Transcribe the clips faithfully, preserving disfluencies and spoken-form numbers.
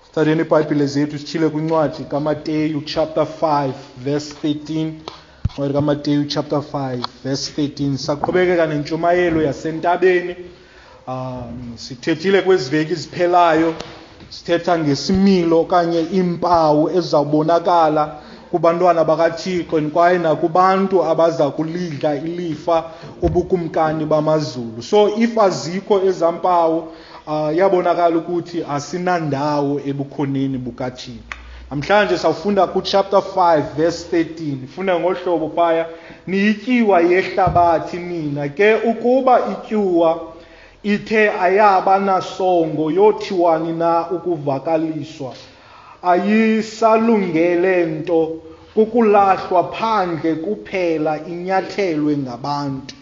Sithatheni iBhayibhile zethu sitshile kwincwadi kaMateyu chapter five verse thirteen. Incwadi kaMateyu chapter five verse thirteen. Saqhubekeka nentshumayelo yasentabeni. Um sithethile kwezi veki ziphelayo, sithetha ngesimilo okanye iimpawu ezizawubonakala kubantwana bakaThixo kwaye nakubantu abaza kulidla ilifa ubukumkani bamazulu. So if azikho ezampawu, uh, yabonakala ukuthi asinandawo ebukhoneni bukaThixo. Namhlanje sawufunda ku chapter five verse thirteen. Funda ngohlobo phaya, niyityiwa yehlabathi nina ke, ukuba ityuwa ithe ayaba nasongo yothiwani na ukuvakaliswa, ayisalungele nto, kukulahlwa phandle kuphela inyathelwe ngabantu.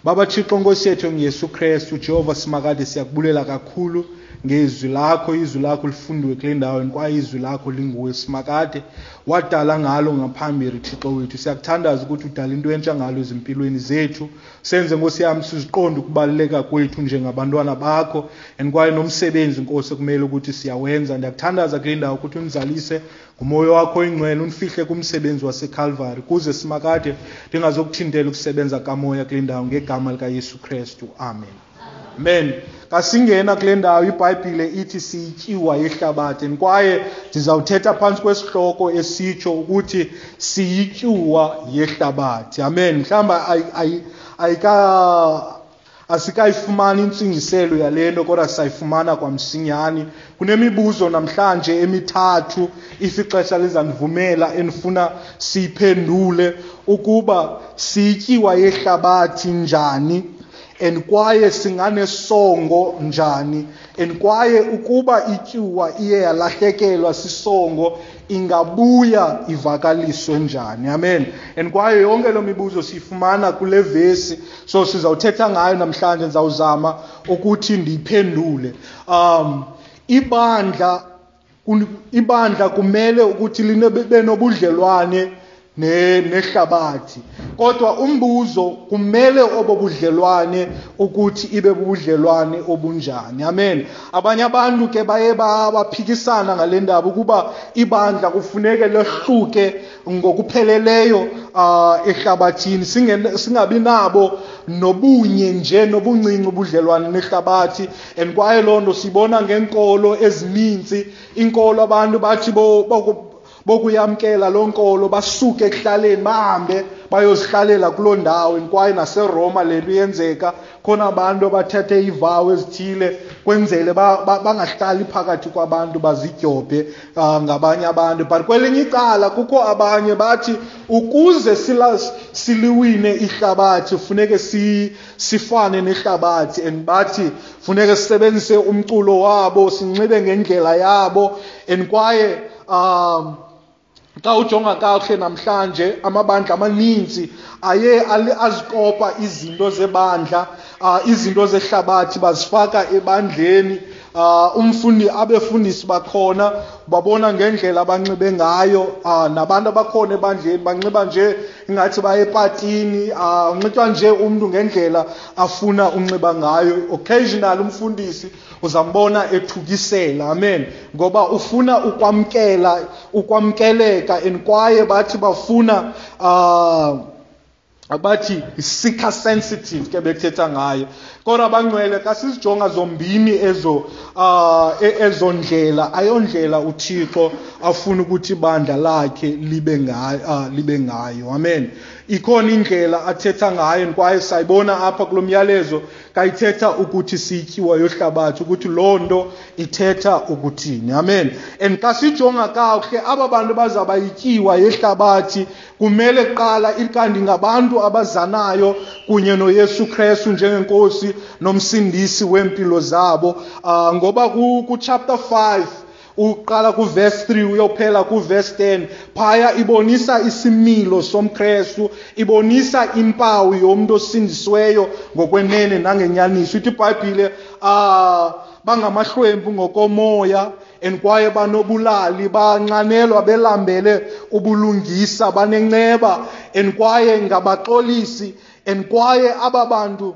Baba Thixo Nkosi yethu ngeYesu Kristu, Jehova simakade, siyakubulela kakhulu ngezwi lakho. Izwi lakho lifundiwe kule ndawo kwaye izwi lakho linguwe simakade, wadala ngalo ngaphambili Thixo wethu. Siyakuthandaza ukuthi udale into entsha ngalo ezimpilweni zethu, senze Nkosi yami siziqonde ukubaluleka kwethu njengabantwana bakho and kwaye nomsebenzi Nkosi ekumele ukuthi siyawenza. Ndiyakuthandaza kule ndawo ukuthi unizalise ngumoya wakho oyingcwele, unifihle kumsebenzi waseCalvary kuze simakade ndingazokuthintela ukusebenza kamoya kule ndawo, ngegama likaYesu Kristu, amen. Amen. Kasingena kule ndawo iBhayibhile ithi siyityiwa yehlabathi, kwaye ndizawuthetha phantsi kwesihloko esitsho ukuthi siyityuwa yehlabathi. Amen. Mhlawumbi ayika asikayifumani intsingiselo yale nto, kodwa sayifumana kwamsinyane. Kunemibuzo namhlanje emithathu, if ixesha lizandivumela, endifuna siyiphendule ukuba siyityiwa yehlabathi njani, and kwaye singanesongo njani, and kwaye ukuba ityuwa iye yalahlekelwa sisongo ingabuya ivakaliswe njani. Amen. And kwaye yonke lo mibuzo siyifumana kule vesi, so sizawuthetha ngayo namhlanje. Ndizawuzama ukuthi ndiyiphendule. Um ibandla ibandla kumele ukuthi libe nobudlelwane nehlabathi, kodwa umbuzo kumele obo budlelwane ukuthi ibe bubudlelwane obunjani. Amen. Abanye abantu ke baye baphikisana ngale ndaba ukuba ibandla kufuneke lehluke ngokupheleleyo uh, ehlabathini, singabi nabo nobunye nje nobuncinci ubudlelwane nehlabathi. And kwaye loo nto sibona ngeenkolo ezininzi. Inkolo abantu bathi bo, bo bokuyamkela loo nkolo basuke ekuhlaleni bahambe bayozihlalela kuloo ndawo. Kwaye naseRoma le nto iyenzeka, khona abantu abathethe iivawo ezithile kwenzele bangahlali phakathi kwabantu, bazidyobhe uh, ngabanye abantu. But kwelinye icala kukho abanye bathi ukuze siliwine ihlabathi funeke si, sifane nehlabathi, and bathi funeke sisebenzise umculo wabo, sinxibe ngendlela yabo. And kwaye um xa ujonga kakuhle namhlanje amabandla amaninzi aye azikopa izinto zebandla, uh, izinto zehlabathi bazifaka ebandleni. Uh, umfundi abefundisi bakhona babona ngendlela abanxibe ngayo, uh, nabantu abakhona ebandleni banxiba nje ingathi baye epatini, uh, unxitywa nje umntu ngendlela afuna unxiba ngayo. Occasionally umfundisi uzambona ethukisela. Amen. Ngoba ufuna ukwamkela ukwamkeleka, and kwaye bathi bafuna uh, abathi seeker sensitive ke bekuthetha ngayo. Kodwa abangcwele xa sizijonga zombini ezo uh, ezo ndlela, ayondlela uThixo afuna ukuthi ibandla lakhe libe ngayo, uh, libe ngayo. Amen. Ikhona indlela athetha ngayo, kwaye sayibona apha kulo myalezo kayithetha ukuthi siyityiwa yohlabathi, ukuthi loo nto ithetha ukuthini. Amen. And xa sijonga kakuhle aba bantu bazaba yityiwa yehlabathi kumele kuqala ikanti ngabantu abazanayo kunye noYesu Kristu njengenkosi nomsindisi wempilo zabo. Uh, ngoba ku chapter five uqala ku verse three uyophela ku verse ten, phaya ibonisa isimilo somKristu, ibonisa impawu yomuntu osindisiweyo ngokwenene nangenyaniso. Ithi iBhayibhile ah bangamahlwempu ngokomoya, and kwaye banobulali, banxanelwa belambele ubulungisa, banenceba, and kwaye ngabaxolisi, and kwaye aba bantu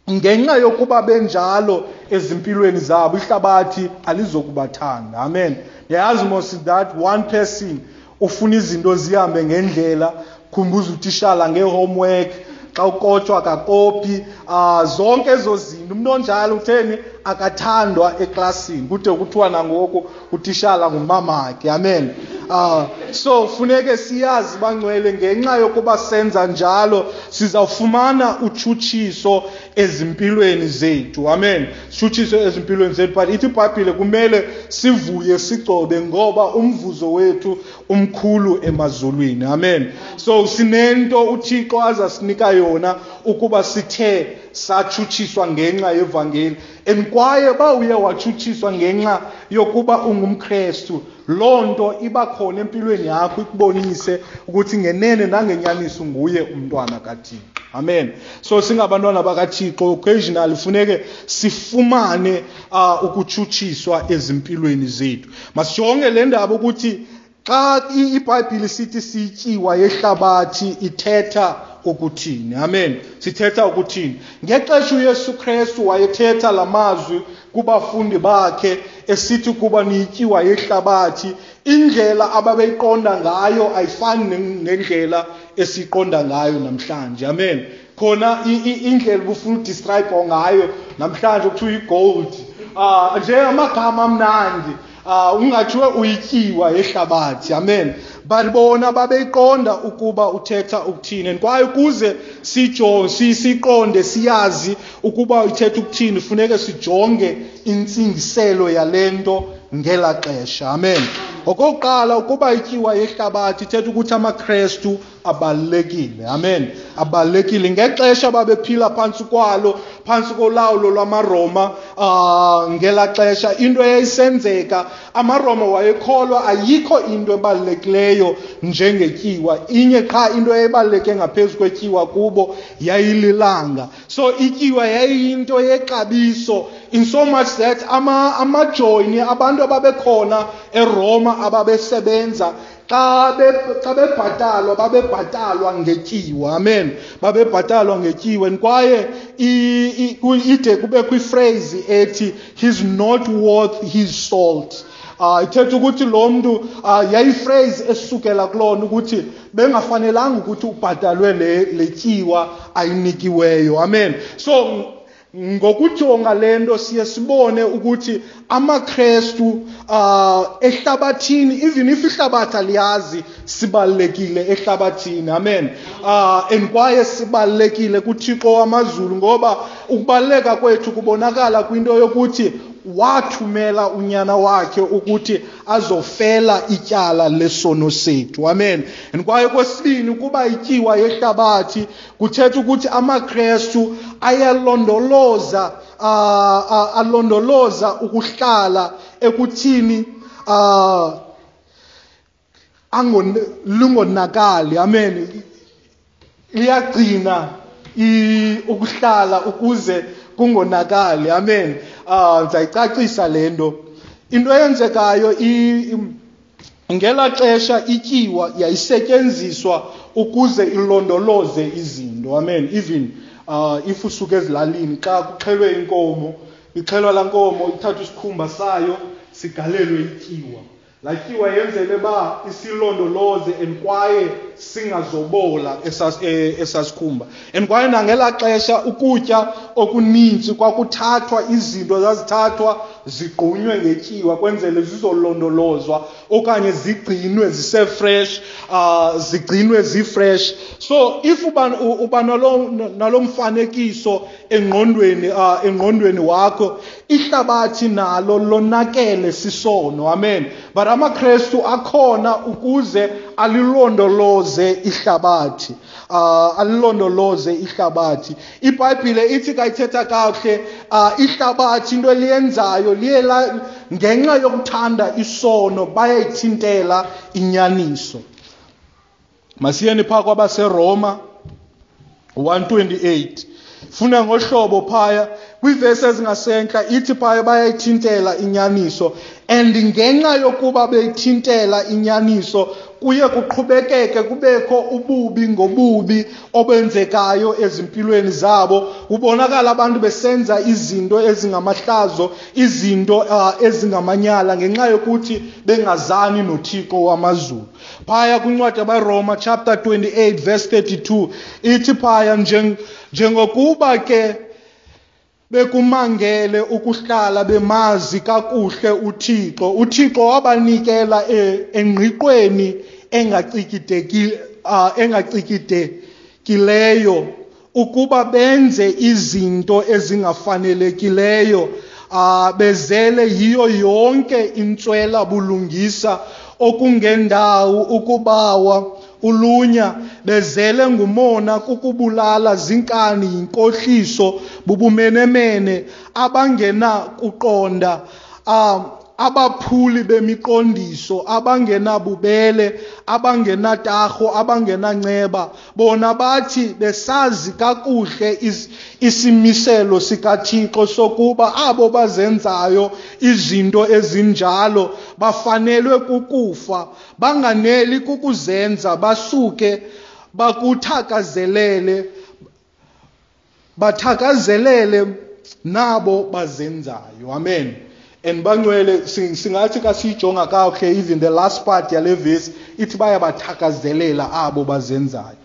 Ngenxa yokuba benjalo ezimpilweni zabo, ihlabathi alizokubathanda. Amen. Yazi mos that one person ufuna izinto zihambe ngendlela, khumbuza utishala ngehomework, xa ukotshwa akakopi, uh, zonke ezo zinto. Umuntu onjalo utheni? Akathandwa eklasini. Kude kuthiwa nangoku utishala ngumamakhe. Amen. Uh, so funeke siyazi bangcwele, ngenxa yokuba senza njalo sizawufumana utshutshiso ezimpilweni zethu. Amen. Sitshutshiso ezimpilweni zethu, but ithi iBhayibhile kumele sivuye sigcobe ngoba umvuzo wethu umkhulu emazulwini. Amen. So sinento uThixo azasinika yona ukuba sithe satshutshiswa ngenxa yevangeli. And kwaye ba uye watshutshiswa ngenxa yokuba ungumKrestu, loo nto iba khona empilweni yakho, ikubonise ukuthi ngenene nangenyaniso nguye umntwana kaThixo. Amen. So singabantwana bakaThixo, occasionally funeke sifumane uh, ukutshutshiswa ezimpilweni zethu. Masijonge le ndaba ukuthi xa iBhayibhile sithi sityiwa yehlabathi ithetha ukuthini. Amen. Sithetha ukuthini? Ngexesha uYesu Kristu wayethetha lamazwi kubafundi bakhe esithi kuba niyityiwa yehlabathi, indlela ababeyiqonda ngayo ayifani nendlela esiqonda ngayo namhlanje. Amen. Khona indlela ubufuna udescribe ngayo namhlanje kuthiwa igold, ah nje amagama amnandi, ah ungathiwe uyityiwa yehlabathi. Amen. But bona babeyiqonda ukuba uthetha ukuthini, and kwaye ukuze sijonge siqonde siyazi ukuba uthetha ukuthini funeke sijonge intsingiselo yalento ngela xesha. Amen. Okokuqala, ukuba ityiwa yehlabathi ithetha ukuthi amaKrestu abalulekile. Amen. Abalulekile ngexesha babephila phantsi kwalo, phantsi kolawulo lwamaRoma. Uh, ngela xesha into eyayisenzeka, amaRoma wayekholwa ayikho into ebalulekileyo njengetyiwa. Inye qha into eyayibaluleke ngaphezu kwetyiwa kubo yayililanga. So ityiwa yayiyinto yexabiso in so much that ama amajoyini, abantu ababekhona eRoma ababesebenza, xa xa bebhatalwa babebhatalwa ngetyiwa. Amen. Babebhatalwa ngetyiwa. And kwaye ide kube kwiphrase ethi he's not worth his salt. Uh, ithetha ukuthi lo mntu uh, yayiphrase esukela kulona ukuthi bengafanelanga ukuthi ubhatalwe le letyiwa ayinikiweyo. Amen. So ngokujonga lento siye sibone ukuthi amaKrestu uh, ehlabathini, even if ihlabathi aliyazi, sibalulekile ehlabathini. Amen. Uh, and kwaye sibalulekile kuThixo wamazulu, ngoba ukubaluleka kwethu kubonakala kwinto yokuthi wathumela unyana wakhe ukuthi azofela ityala lesono sethu. Amen. And kwaye kwesibini, ukuba ityiwa yehlabathi kuthetha ukuthi amaKrestu ayalondoloza uh, uh, alondoloza ukuhlala ekuthini uh, angon lungonakali. Amen. Liyagcina ukuhlala ukuze kungonakali. Amen. Ah, ndizayicacisa le nto. Into eyenzekayo ngela xesha ityiwa yayisetyenziswa ukuze ilondoloze izinto. Amen. Even uh, if usuke ezilalini xa kuxhelwe inkomo, ixhelwa laa nkomo ithathwa isikhumba sayo sigalelwe ityiwa. Laa tyiwa yenzele ba isilondoloze and kwaye singazobola esasikhumba. And kwaye nangela xesha ukutya okuninzi kwakuthathwa, izinto zazithathwa zigqunywe ngetyiwa kwenzele zizolondolozwa okanye zigcinwe zisefresh, uh, zigcinwe zifresh. So if uba uba nalo nalo mfanekiso engqondweni uh, engqondweni wakho, ihlabathi nalo lonakele sisono. Amen. But amaKrestu akhona ukuze alilondoloze ihlabathi. Uh, alilondoloze ihlabathi. IBhayibhile ithi kayithetha kakuhle, uh, ihlabathi into eliyenzayo liye ngenxa yokuthanda isono bayayithintela inyaniso. Masiyeni phaa kwabaseRoma one twenty-eight. Funa ngohlobo phaya Kwiivesi ezingasentla ithi phaya bayayithintela inyaniso, and ngenxa yokuba beyithintela inyaniso kuye kuqhubekeke kubekho ububi ngobubi obenzekayo ezimpilweni zabo. Kubonakala abantu besenza izinto ezingamahlazo, izinto uh, ezingamanyala ngenxa yokuthi bengazani noThixo wamazulu. Phaya kwincwadi yabaRoma chapter twenty-eight verse thirty-two ithi phaya njengokuba ke bekumangele ukuhlala bemazi kakuhle uThixo, uThixo wabanikela engqiqweni engacikidekileyo ukuba benze izinto ezingafanelekileyo, bezele yiyo yonke intswela bulungisa okungendawo, ukubawa, ulunya, bezele ngumona, kukubulala, zinkani, yinkohliso, bubumenemene, abangenakuqonda, um, abaphuli bemiqondiso, abangenabubele, abangenatarho, abangenanceba. Bona bathi besazi kakuhle is, isimiselo sikaThixo sokuba abo bazenzayo izinto ezinjalo bafanelwe kukufa, banganeli kukuzenza, basuke bakuthakazelele, bathakazelele nabo bazenzayo. Amen. And bangcwele singathi kasijonga kakuhle, even the last part yale verse ithi bayabathakazelela abo bazenzayo.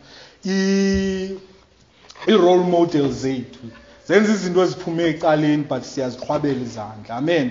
I-role model zethu zenza izinto eziphume ecaleni, but siyaziqhwabela izandla. Amen.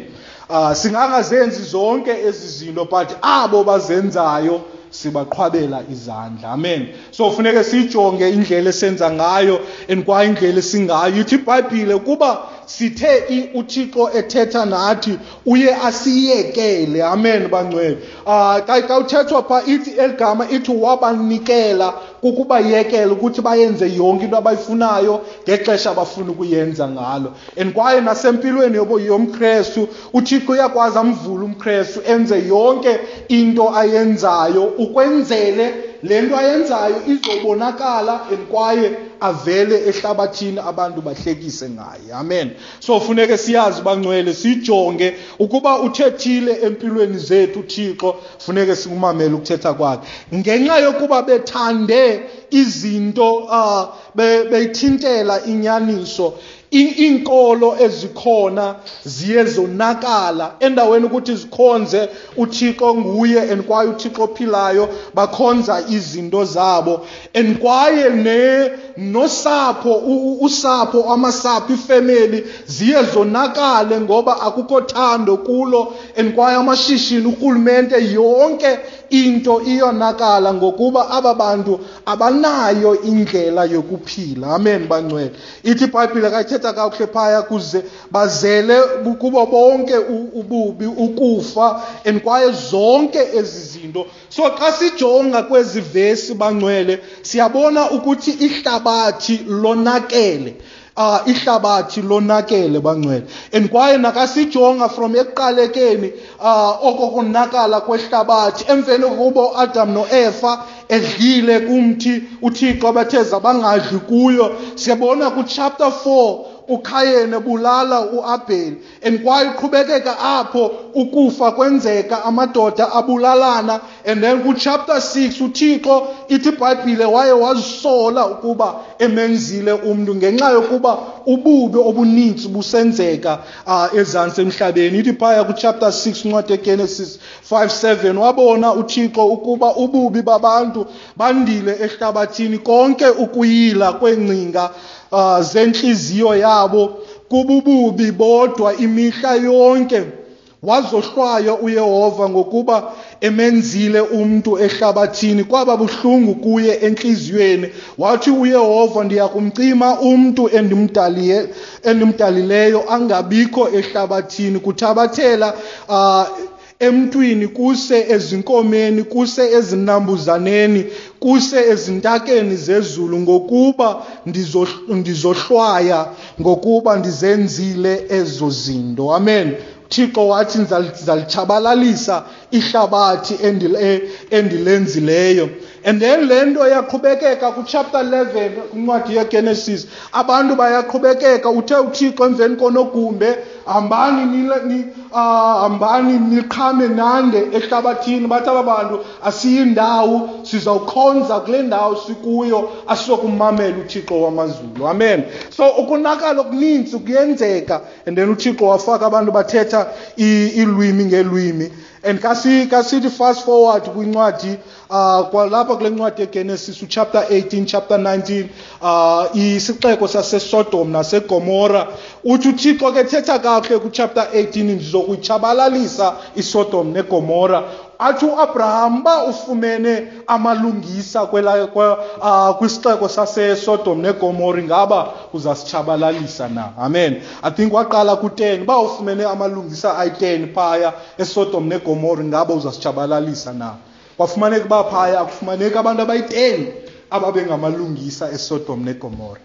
Uh, singangazenzi zonke ezi zinto, but abo bazenzayo sibaqhwabela izandla. Amen. So funeke sijonge indlela esenza ngayo and kwa indlela esingayo. Ithi iBhayibhile kuba sithe uThixo ethetha nathi uye asiyekele. Amen bangcwele. Ah, xa uthethwa pha ithi eligama ithi wabanikela, kukubayekela ukuthi bayenze yonke into abayifunayo ngexesha abafuna ukuyenza ngalo. And kwaye nasempilweni yomKrestu uThixo uyakwazi amvule umKrestu enze yonke into ayenzayo ukwenzele le nto ayenzayo izobonakala and kwaye avele ehlabathini abantu bahlekise ngaye. Amen. So funeke siyazi bangcwele, sijonge ukuba uthethile empilweni zethu uThixo, funeke sikumamele ukuthetha kwakhe. Ngenxa yokuba bethande izinto uh, beyithintela inyaniso, iinkolo ezikhona ziye zonakala. Endaweni ukuthi zikhonze uThixo nguye and kwaye uThixo ophilayo, bakhonza izinto zabo. And kwaye ne nosapho, usapho, amasapho, ifemeli ziye zonakale ngoba akukho thando kulo. And kwaye amashishini, urhulumente, yonke into iyonakala ngokuba aba bantu abanayo indlela yokuphila. Amen bangcwele. Ithi iBhayibhile kayithetha kakuhle phaya, kuze bazele kubo bonke ububi, ukufa, and kwaye zonke ezi zinto. So xa sijonga kwezi vesi bangcwele, siyabona ukuthi ihlabathi lonakele. Uh, ihlabathi lonakele bangcwele. And kwaye nakasijonga from ekuqalekeni uh, okokonakala kwehlabathi emveni kokuba uAdam noEfa edlile kumthi uThixo abatheza bangadli kuyo, siyabona ku chapter four uKhayene ebulala uAbheli. And kwaye uqhubekeka apho ukufa kwenzeka, amadoda abulalana. And then ku chapter six uThixo ithi iBhayibhile waye wazisola ukuba emenzile umntu ngenxa yokuba ububi obuninzi busenzeka uh, ezantsi emhlabeni. Ithi phaya ku chapter six incwadi yeGenesis five seven, wabona uThixo ukuba ububi babantu bandile ehlabathini, konke ukuyila kwengcinga uh, zentliziyo yabo kubububi bodwa imihla yonke. Wazohlwaya uYehova ngokuba emenzile umntu ehlabathini, kwaba buhlungu kuye entliziyweni. Wathi uYehova, ndiyakumcima umntu endimdaliye endimdalileyo angabikho ehlabathini, kuthabathela uh, emntwini kuse ezinkomeni, kuse ezinambuzaneni, kuse ezintakeni zezulu, ngokuba ndizohlwaya ngokuba ndizenzile ezo zinto. Amen. Thixo wathi ndizalitshabalalisa ihlabathi endilenzileyo. And then le nto yaqhubekeka kuchapter eleven kwincwadi yeGenesis. Abantu bayaqhubekeka, uthe uThixo emveni konogumbe, hambani ni hambani niqhame nande ehlabathini. Bathi aba bantu asiyindawo, sizawukhonza kule ndawo sikuyo, asizokumamela uThixo wamazulu. Amen. So ukonakala okuninzi kuyenzeka, and then uThixo wafaka abantu bathetha iilwimi ngeelwimi. And kasi kasithi fast forward kwincwadi uh kwalapha kule ncwadi yeGenesis chapter eighteen chapter nineteen, uh isixeko saseSodom naseGomora. Uthi uThixo ke thetha kakuhle ku chapter eighteen, ndizokuyitshabalalisa iSodom neGomora. Athi uAbraham ba ufumene amalungisa kwela uh, kwisixeko saseSodom neGomora, ingaba uzasitshabalalisa na? Amen. I think waqala ku ten, ba ufumene amalungisa ayi ten phaya eSodom neGomora, ingaba uzasitshabalalisa na? Kwafumaneka uba phaya akufumaneka abantu abayi ten ababengamalungisa eSodom neGomora.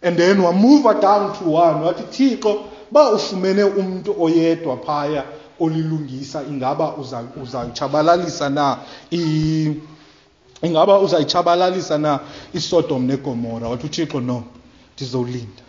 And then wamuva down to one, wathi Thixo ba ufumene umuntu oyedwa phaya olilungisa, ingaba uzayitshabalalisa na ingaba uzayitshabalalisa na iSodom neGomora? Wathi uThixo no, ndizolinda.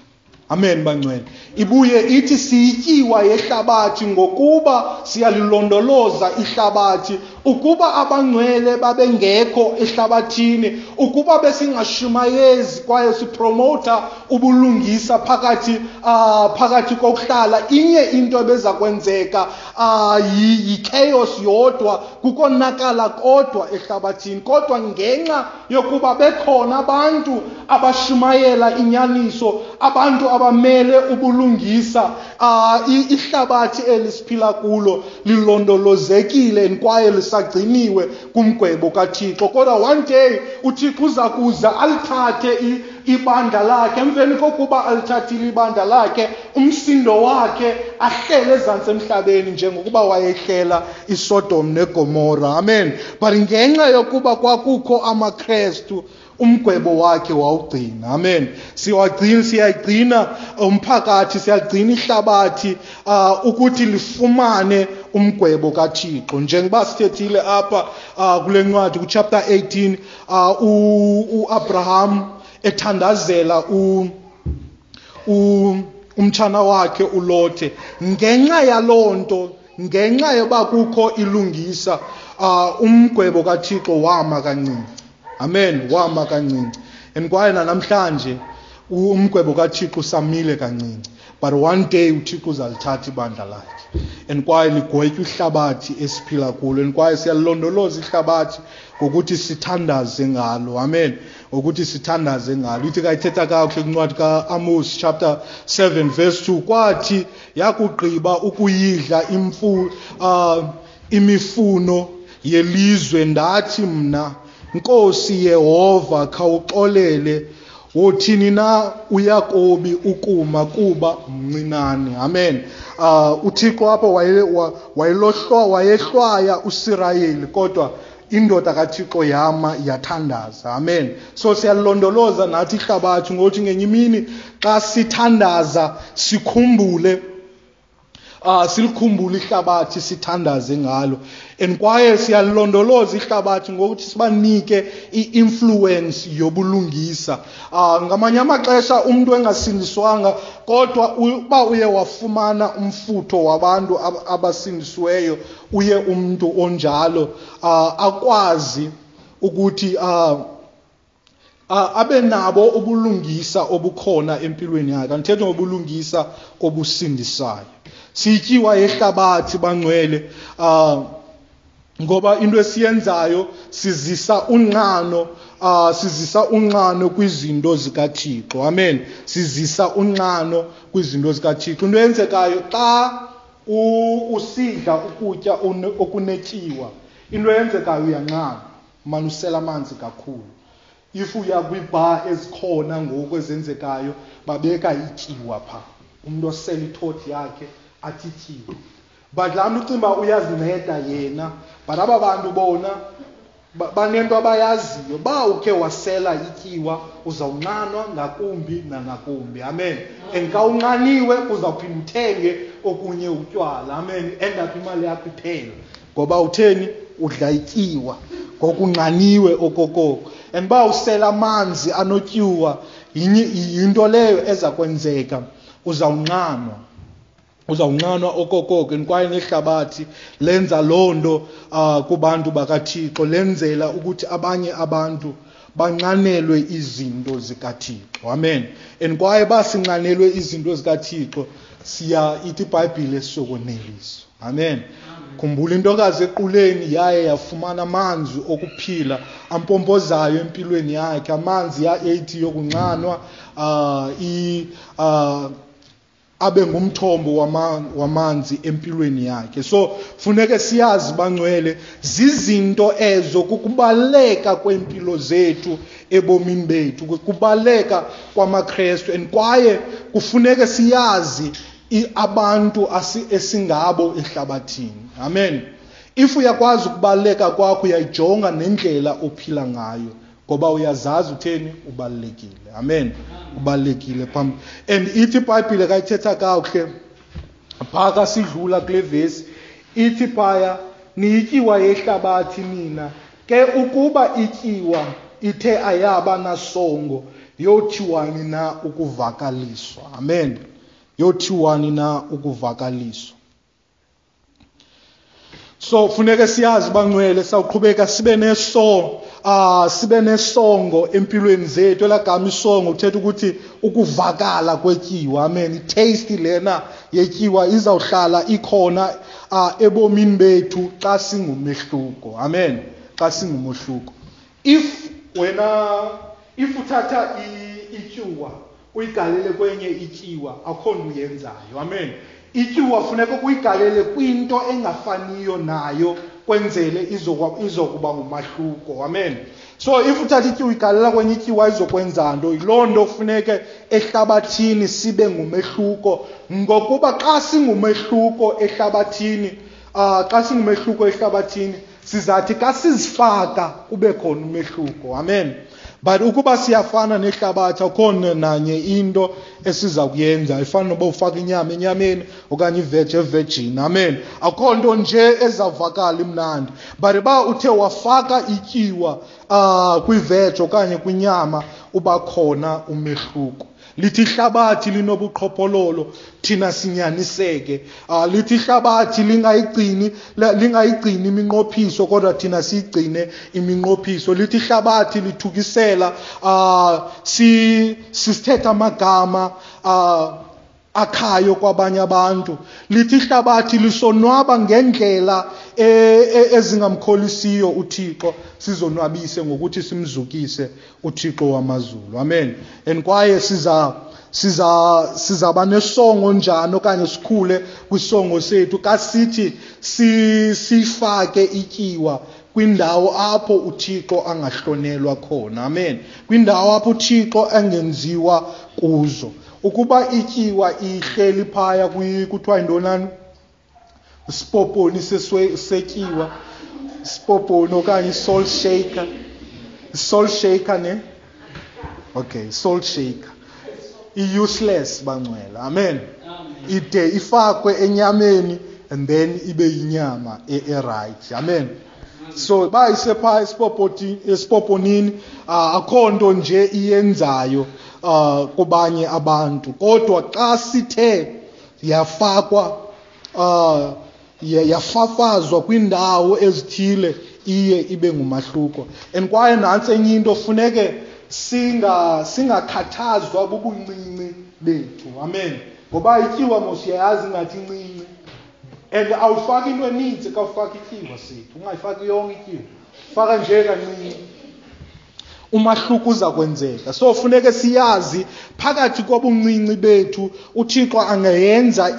Amen bangcwele. Ibuye ithi siyityiwa yehlabathi ngokuba siyalilondoloza ihlabathi. Ukuba abangcwele babengekho ehlabathini, ukuba besingashumayezi kwaye sipromota ubulungisa phakathi uh, phakathi kokuhlala, inye into ebeza kwenzeka uh, yi-chaos yodwa, kukonakala kodwa ehlabathini. Kodwa ngenxa yokuba bekhona abantu abashumayela inyaniso, abantu abamele ubulungisa, uh, ihlabathi elisiphila kulo lilondolozekile kwaye lisagciniwe kumgwebo kaThixo. Kodwa one day uThixo uza kuza alithathe ibandla lakhe. Emveni kokuba alithathile ibandla lakhe, umsindo wakhe ahlele ezantsi emhlabeni njengokuba wayehlela iSodom neGomora. Amen. But ngenxa yokuba kwakukho amaKrestu, umgwebo wakhe wawugcina. Amen. Siwagcina, siyagcina umphakathi, siyagcina ihlabathi uh, ukuthi lifumane umgwebo kaThixo. Njengoba sithethile apha uh, kule ncwadi ku chapter eighteen, uh, uAbraham ethandazela u, u umtshana wakhe uLothe. Ngenxa yalonto, ngenxa yoba kukho ilungisa, uh, umgwebo kaThixo wama kancinci. Amen, wama kancinci. And kwaye namhlanje umgwebo kaThixo usamile kancinci. But one day uThixo uzalithatha ibandla lakhe. And kwaye ligwetywe ihlabathi esiphila kulo. And kwaye siyalondoloza ihlabathi ngokuthi sithandaze ngalo. Amen. Ngokuthi sithandaze ngalo. Ithi kayithetha kakuhle kwincwadi kaAmos chapter seven verse two, kwathi yakugqiba ukuyidla imfu uh, imifuno yelizwe, ndathi mna, Nkosi Yehova, khawuxolele, wothini na uYakobi ukuma kuba mncinane. Amen. Uh, uThixo apha wayelohlwa wayehlwaya uSirayeli, kodwa indoda kaThixo yama yathandaza. Amen. So siyalondoloza nathi ihlabathi ngokuthi ngenye imini xa sithandaza sikhumbule, Uh, silikhumbule ihlabathi sithandaze ngalo. And kwaye siyalondoloza ihlabathi ngokuthi sibanike i-influence yobulungisa. Uh, ngamanye amaxesha umuntu engasindiswanga, kodwa uba uye wafumana umfutho wabantu abasindisiweyo, uye umuntu onjalo uh, akwazi ukuthi uh, Uh, abe nabo ubulungisa obukhona empilweni yakhe. Andithethe ngobulungisa obusindisayo. Sityiwa yehlabathi bangcwele, uh, ngoba into esiyenzayo sizisa unxano, uh, sizisa unxano kwizinto zikaThixo. Amen. Sizisa unxano kwizinto zikaThixo. Into eyenzekayo xa usidla ukutya okunetyiwa, into eyenzekayo uyanxana, mane usela amanzi kakhulu. If uya kwibar ezikhona ngoku ezenzekayo, babeka ityiwa pha. Umuntu osela ithoti yakhe athi ityiwa. But laa mntu ucinga uba uyazinceda yena, but aba bantu bona banento abayaziyo. Ba ukhe wasela ityiwa, uzawunxanwa ngakumbi nangakumbi. Amen. And xa unxaniwe uzawuphinda uthenge okunye utywala. Amen. End up imali yakho iphela. Ngoba utheni? Udla ityiwa. Ngokunxaniwe okokoko. And ba usela amanzi anotyuwa, yinto leyo eza kwenzeka, uzawunxanwa. Uzawunxanwa okokoko. Kwaye nehlabathi lenza loo nto uh, kubantu bakaThixo, lenzela ukuthi abanye abantu banxanelwe izinto zikaThixo. Amen. And kwaye basinxanelwe izinto zikaThixo, siya ithi iBhayibhile sizokoneliswa. Amen. Khumbula intokazi equleni yaye yafumana amanzi okuphila ampompozayo empilweni yakhe, amanzi ya-eighty yokunxanwa, uh, i, uh, abe ngumthombo wamanzi empilweni yakhe. So funeke siyazi bangcwele, zizinto ezo kukubaleka kwempilo zethu ebomini bethu, kukubaleka kwamaKrestu. And kwaye kufuneke siyazi abantu esingabo ehlabathini. Amen. If uyakwazi ukubaleka kwakho, uyayijonga nendlela ophila ngayo, ngoba uyazazi utheni, ubalulekile. Amen. Ubalulekile phambi. And ithi iBhayibhile kayithetha kakuhle phaka sidlula kule vesi, ithi phaya niyityiwa yehlabathi nina, ke ukuba ityiwa ithe ayaba nasongo, yothiwani na ukuvakaliswa. Amen. Yothiwani na ukuvakaliswa. So funeke siyazi bangcwele, sawuqhubeka sibe neso ah sibe nesongo empilweni zethu. Elagama isongo kuthetha ukuthi ukuvakala kwetyiwa. Amen. I-taste lena yetyiwa izawuhlala ikhona ah ebomini bethu xa singumehluko. Amen. Xa singumehluko. If wena if uthatha ityiwa uyigalele kwenye ityiwa, akho nto uyenzayo. Amen. Ityiwa funeka uyigalele kwinto engafaniyo nayo kwenzele izokuba ngumahluko. Amen. So if uthatha ityiwa uyigalela kwenye ityiwa izokwenza nto. Yiloo nto kufuneke ehlabathini sibe ngumehluko, ngokuba xa singumehluko ehlabathini, uh, xa singumehluko ehlabathini sizathi xa sizifaka kube khona umehluko. Amen. But ukuba siyafana nehlabathi, akukho nanye into esiza kuyenza. Ifana noba ufaka inyama enyameni okanye iveji evejini. Amen. Akukho nto nje ezavakala imnandi. But uba uthe wafaka ityiwa uh, kwiveji okanye kwinyama, uba khona umehluko. Lithi ihlabathi linobuqhophololo, thina sinyaniseke. Uh, lithi ihlabathi lingayigcini lingayigcini iminqophiso, kodwa thina siyigcine iminqophiso. Lithi ihlabathi lithukisela, uh, si sisithetha amagama uh, akhayo kwabanye abantu. Lithi ihlabathi lisonwaba ngendlela ezingamkholisiyo uThixo, sizonwabise ngokuthi simzukise uThixo wamazulu. Amen. And kwaye siza siza sizaba nesongo njani okanye sikhule kwisongo sethu kasithi sifake ityiwa kwindawo apho uThixo angahlonelwa khona. Amen. Kwindawo apho uThixo angenziwa kuzo. Ukuba ityiwa ihleli phaya kuthiwa yintoni, sipoponi setyiwa, sipoponi okanye salt shaker, salt shaker ne? Okay, salt shaker. I-useless bangcwele. Amen. Ide ifakwe enyameni and then ibe yinyama e-right. Amen. So ba isepha esipoponini, akho nto nje iyenzayo uh kubanye abantu, kodwa xa sithe yafakwa uh yafafazwa kwindawo ezithile, iye ibe ngumahluko. And kwaye nantsi enye into, funeke singa singakhathazwa bubuncinci bethu. Amen. Ngoba ityiwa mos uyayazi ngathi incinci, and awufaki into eninzi xa ufaka ityiwa sethu, ungayifaki yonke ityiwa, faka nje kancinci, umahluko uza kwenzeka. So funeke siyazi phakathi kobuncinci bethu uThixo angayenza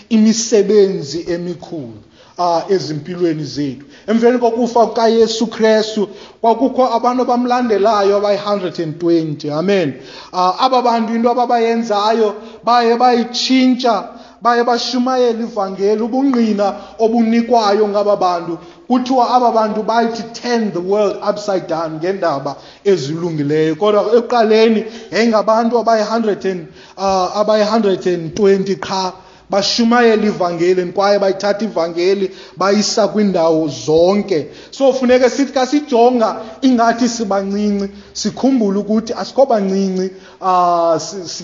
imisebenzi emikhulu uh, ezimpilweni zethu. Emveni kokufa kukaYesu Kristu kwakukho abantu abamlandelayo abayi one hundred twenty. Amen. Uh, aba bantu into ababayenzayo baye bayitshintsha, baye bashumayela ivangeli, ubungqina obunikwayo ngaba bantu. Kuthiwa aba bantu bayithi turn the world upside down ngendaba ezilungileyo. Kodwa ekuqaleni yayingabantu abayi hundred and, uh, abayi hundred and twenty qha. Bashumayela ivangeli kwaye bayithatha ivangeli bayisa kwindawo zonke. So funeke sithi ka sijonga ingathi sibancinci, sikhumbule ukuthi asikho bancinci. Uh,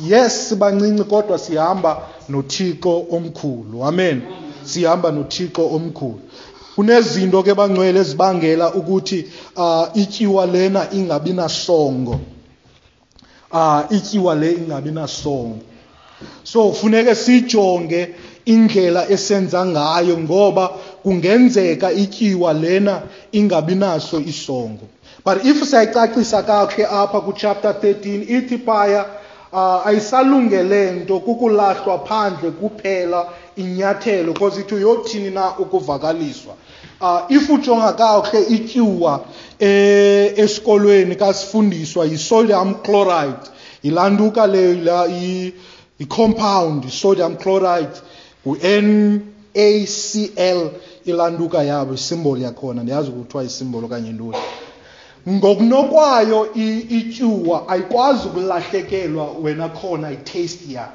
yes sibancinci kodwa sihamba noThixo omkhulu. Amen. Sihamba noThixo omkhulu. Kunezinto ke bangcwele ezibangela ukuthi uh, ityiwa lena ingabi nasongo. Uh, ityiwa le ingabi nasongo. So funeke sijonge indlela esenza ngayo ngoba kungenzeka ityiwa lena ingabi naso isongo. But if sayicacisa kakuhle apha ku chapter thirteen ithi phaya uh, ayisalungele nto kukulahlwa phandle kuphela inyathelo because ithi uyothini na ukuvakaliswa. Uh, if ujonga kakuhle ityiwa eh, esikolweni kasifundiswa yi-sodium chloride, yilantuka leyo la i-compound sodium chloride u-N A C L ilantuka yabo isimboli yakhona, ndiyazi kuthiwa isimboli okanye ntoni. Ngokunokwayo ityuwa ayikwazi ukulahlekelwa wena khona i-taste yayo,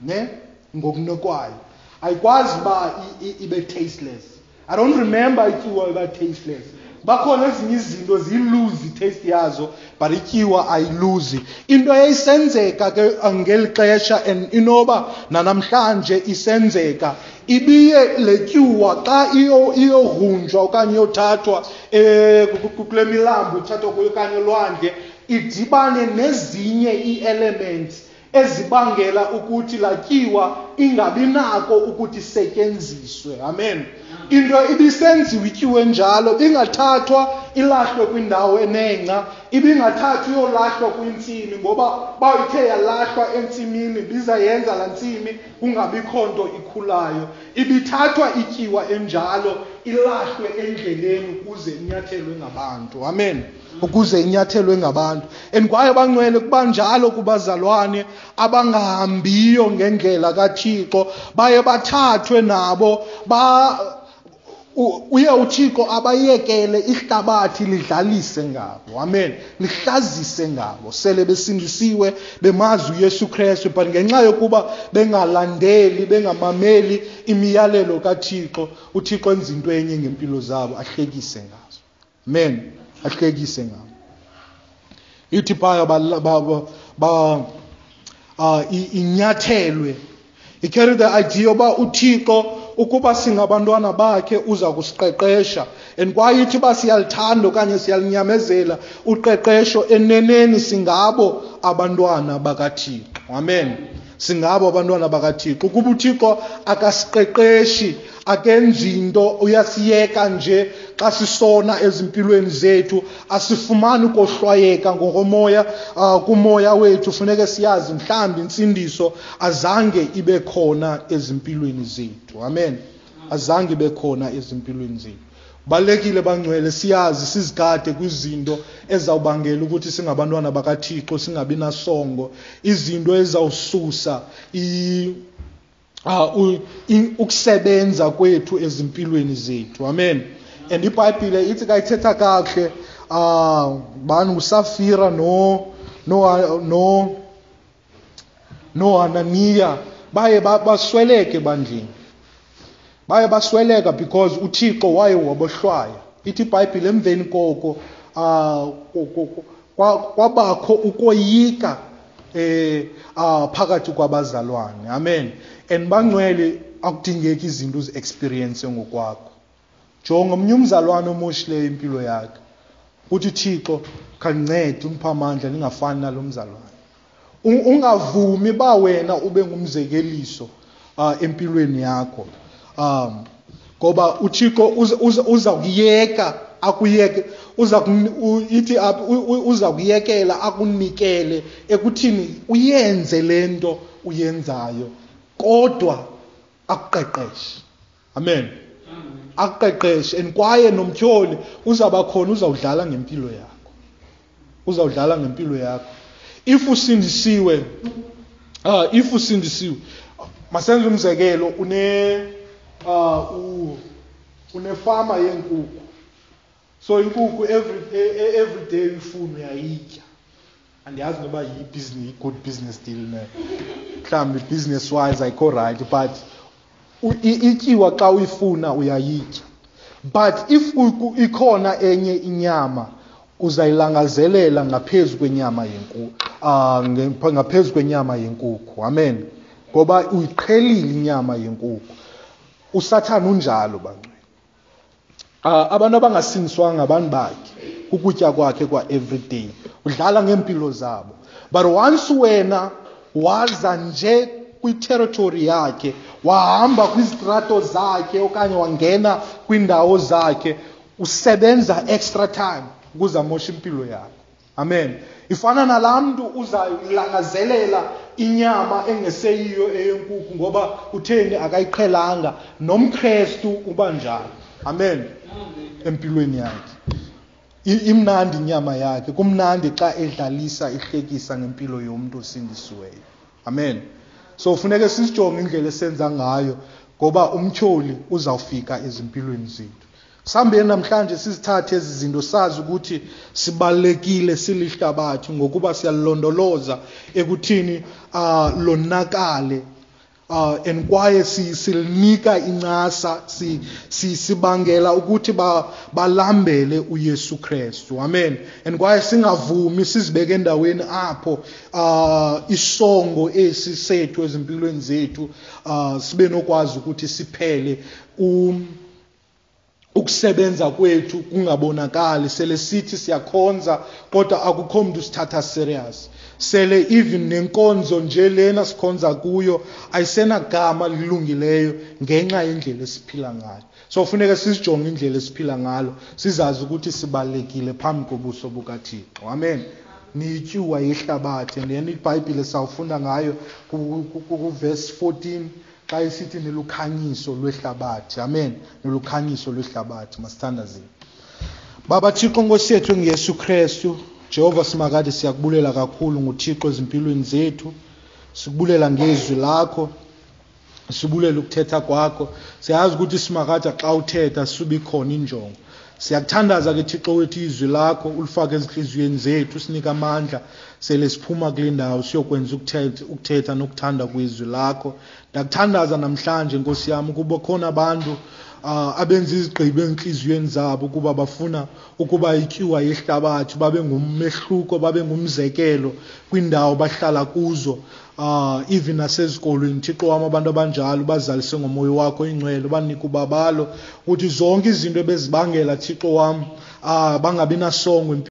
ne? Ngokunokwayo ayikwazi uba ibe tasteless. I don't remember ityiwa iba tasteless. Bakhona ezinye izinto ziyiluzi taste yazo, but ityiwa ayiluzi. Into eyayisenzeka ke ngeli xesha and inoba nanamhlanje isenzeka, ibiye le tyuwa xa iyorhunjwa okanye iyothathwa eh kule milambo ithathwa kuyo okanye elwandle, idibane nezinye ii-elements ezibangela ukuthi la tyiwa ingabi nako ukuthi isetyenziswe. Amen. Into ibisenziwa ityiwe njalo, ingathathwa ilahlwe kwindawo enengca, ibingathathwa iyolahlwa kwintsimi, ngoba ba ithe yalahlwa entsimini bizayenza la ntsimi kungabikho nto ikhulayo. Ibithathwa ityiwa enjalo ilahlwe endleleni ukuze inyathelwe ngabantu. Amen. Ukuze inyathelwe ngabantu. And kwaye bangcwele kuba njalo kubazalwane abangahambiyo ngendlela kaThixo, baye bathathwe nabo ba uye uThixo abayekele ihlabathi lidlalise ngabo. Amen. Lihlazise ngabo. Sele besindisiwe bemazi uYesu Kristu, but ngenxa yokuba bengalandeli bengamameli imiyalelo kaThixo, uThixo enza into enye ngempilo zabo, ahlekise ngazo. Amen. Ahlekise ngabo. Ithi phaya ba ba ba inyathelwe. I carry the idea yoba uThixo ukuba singabantwana bakhe uza kusiqeqesha, and kwaye ithi uba siyalithanda okanye siyalinyamezela uqeqesho, eneneni singabo abantwana bakaThixo. Amen. Singabo abantwana bakaThixo. Ukuba uThixo akasiqeqeshi, akenzi into, uyasiyeka nje xa sisona ezimpilweni zethu, asifumani ukohlwayeka ngokomoya, uh, kumoya wethu. Funeke siyazi mhlawumbi intsindiso azange ibe khona ezimpilweni zethu. Amen. Azange ibe khona ezimpilweni zethu. Balekile bangcwele siyazi sizigade kwizinto ezawubangela ukuthi singabantwana bakaThixo singabi nasongo, izinto ezawususa i Uh, ukusebenza kwethu ezimpilweni zethu. Amen. And iBhayibhile ithi kayithetha kakuhle, uh, bani uSafira no no no noHananiya baye basweleke ebandleni. Baye basweleka because uThixo waye wabohlwaya. Ithi iBhayibhile emveni koko uh, kwabakho ukoyika eh uh, phakathi kwabazalwane. Amen. And bangcwele akudingeki izinto uzi-experience ngokwakho. Jonga omnye umzalwane omoshileyo impilo yakhe, uthi Thixo khandincede undiphe amandla ndingafani nalo mzalwane. Ungavumi ba wena ube ngumzekeliso uh, empilweni yakho, um ngoba uThixo uza kuyeka akuyeke uza ithi uza kuyekela akunikele ekuthini uyenze lento uyenzayo, kodwa akuqeqeshe. Amen. Akuqeqeshe. And kwaye nomtyholi uzaba khona, uzawudlala ngempilo yakho, uzawudlala ngempilo yakho. If usindisiwe, uh, if usindisiwe, masenze umzekelo, une uh, unefama yenkukhu. So inkukhu every every day uyifuna uyayitya. Andiyazi noba yi-business, good business deal ne. Mhlawumbi business wise ayikho right, but Ityiwa xa uyifuna uyayitya. But if ikhona enye inyama uzayilangazelela ngaphezu kwenyama yenkukhu, uh, ngaphezu kwenyama yenkukhu. Amen. Ngoba uyiqhelile inyama yenkukhu. USathana unjalo bangcwele. Uh, abantu abangasindiswanga abantu bakhe, ukutya kwakhe kwa everyday. Udlala ngempilo zabo. But once wena waza nje kwi-territory yakhe, wahamba kwizitrato zakhe okanye wangena kwindawo zakhe, usebenza extra time ukuze amoshe impilo yakho. Amen. Ifana nalaa mntu uzayilangazelela inyama engeseyiyo eyenkukhu ngoba utheni akayiqhelanga. NomKrestu uba njalo. Amen. Empilweni yakhe. Imnandi inyama yakhe, kumnandi xa edlalisa ihlekisa ngempilo yomntu osindisiweyo. Amen. So funeke sisijonge indlela esenza ngayo ngoba umtyholi uzawufika ezimpilweni zethu. Sihambeni namhlanje sizithathe ezi zinto, sazi ukuthi sibalulekile silihlabathi ngokuba siyalondoloza ekuthini uh, lonakale. Uh, and kwaye silinika incasa, si, si, sibangela ukuthi ba, balambele uYesu Kristu. Amen. And kwaye singavumi sizibeke endaweni apho uh, isongo esi sethu ezimpilweni zethu uh, sibe nokwazi ukuthi siphele um, ukusebenza kwethu kungabonakali. Sele sithi siyakhonza kodwa akukho mntu sithatha serious. Sele even nenkonzo nje lena sikhonza kuyo ayisenagama lilungileyo ngenxa yendlela esiphila ngayo. So funeka sizijonge indlela esiphila ngalo, sizazi ukuthi sibalulekile phambi kobuso bukaThixo. Amen. Niyityuwa yehlabathi. And then iBhayibhile sawufunda ngayo ku verse fourteen xa isithi nilukhanyiso lwehlabathi. Amen. Nilukhanyiso lwehlabathi. Masithandazeni. Baba Thixo Nkosi yethu ngeYesu Kristu, Jehova Simakade, siyakubulela kakhulu nguThixo ezimpilweni zethu. Sikubulela ngezwi lakho, sibulela ukuthetha kwakho. Siyazi ukuthi Simakade xa uthetha sube ikhona injongo. Siyakuthandaza ke Thixo wethu, izwi lakho ulifake ezinhliziyweni zethu, usinike amandla sele siphuma kule ndawo siyokwenza ukuthetha, ukuthetha nokuthanda kwezwi lakho. Ndiyakuthandaza namhlanje Nkosi yam ukuba khona abantu uh, abenza izigqibo enhliziyweni zabo ukuba bafuna ukuba ityuwa yehlabathi, babe ngumehluko, babe ngumzekelo kwindawo bahlala kuzo, uh, even nasezikolweni. Thixo wam, abantu abanjalo bazalise ngomoya wakho ingcwele, banike ubabalo ukuthi zonke izinto ebezibangela, Thixo wam, uh, bangabi nasongo.